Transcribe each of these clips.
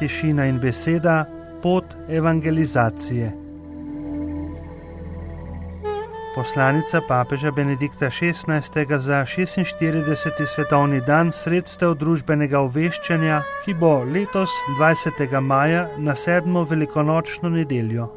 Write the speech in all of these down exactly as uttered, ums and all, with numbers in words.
tišina in beseda, pot evangelizacije. Poslanica papeža Benedikta šestnajstega za šestinštirideseti svetovni dan sredstev družbenega obveščanja, ki bo letos dvajsetega maja na sedmo velikonočno nedeljo.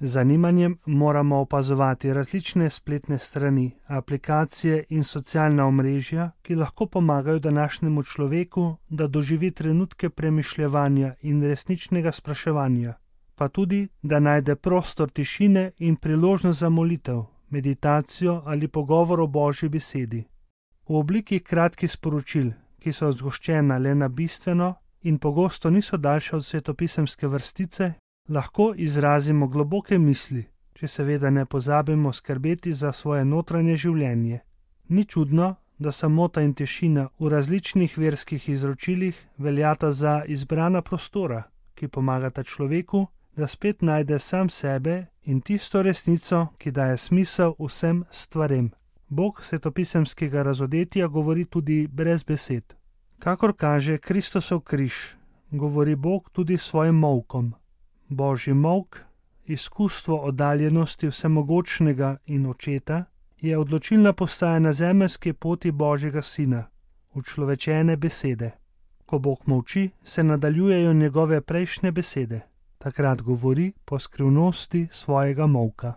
Z zanimanjem moramo opazovati različne spletne strani, aplikacije in socialna omrežja, ki lahko pomagajo današnjemu človeku, da doživi trenutke premišljevanja in resničnega spraševanja, pa tudi, da najde prostor tišine in priložnost za molitev, meditacijo ali pogovor o Božji besedi. V obliki kratkih sporočil, ki so zgoščena le na bistveno in pogosto niso daljše od svetopisemske vrstice, lahko izrazimo globoke misli, če seveda ne pozabimo skrbeti za svoje notranje življenje. Ni čudno, da samota in tišina v različnih verskih izročilih veljata za izbrana prostora, ki pomagata človeku, da spet najde sam sebe in tisto resnico, ki daje smisel vsem stvarem. Bog svetopisemskega razodetja govori tudi brez besed. Kakor kaže Kristosov križ, govori Bog tudi svojim molkom. Božji molk, izkustvo oddaljenosti vsemogočnega in očeta, je odločilna postaja na zemeljski poti Božjega sina, učlovečene besede. Ko Bog molči, se nadaljujejo njegove prejšnje besede. Takrat govori po skrivnosti svojega molka.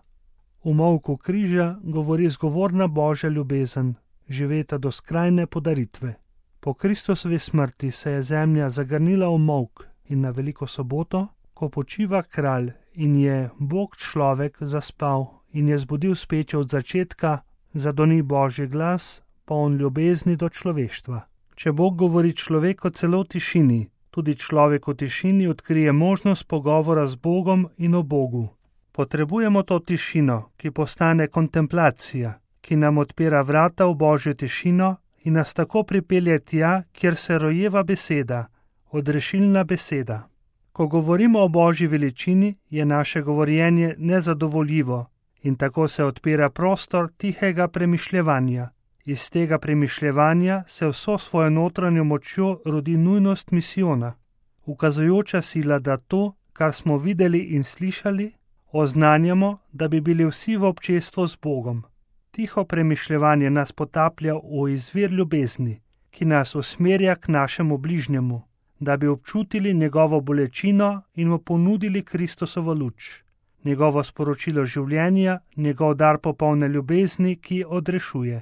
V molku križa govori zgovorna Božja ljubezen, živeta do skrajne podaritve. Po Kristusovi smrti se je zemlja zagrnila v molk in na veliko soboto, ko počiva kralj in je Bog človek zaspal in je zbudil speče od začetka, zadoni Božji glas, poln ljubezni do človeštva. Če Bog govori človeku celo v tišini, tudi človek v tišini odkrije možnost pogovora z Bogom in o Bogu. Potrebujemo to tišino, ki postane kontemplacija, ki nam odpira vrata v Božjo tišino in nas tako pripelje tja, kjer se rojeva beseda, odrešilna beseda. Ko govorimo o Božji veličini, je naše govorjenje nezadovoljivo in tako se odpira prostor tihega premišljevanja. Iz tega premišljevanja se vso svojo notranjo močjo rodi nujnost misijona, ukazujoča sila, da to, kar smo videli in slišali, oznanjamo, da bi bili vsi v občestvu z Bogom. Tiho premišljevanje nas potaplja v izvir ljubezni, ki nas usmerja k našemu bližnjemu, da bi občutili njegovo bolečino in mu ponudili Kristusovo luč, njegovo sporočilo življenja, njegov dar popolne ljubezni, ki odrešuje.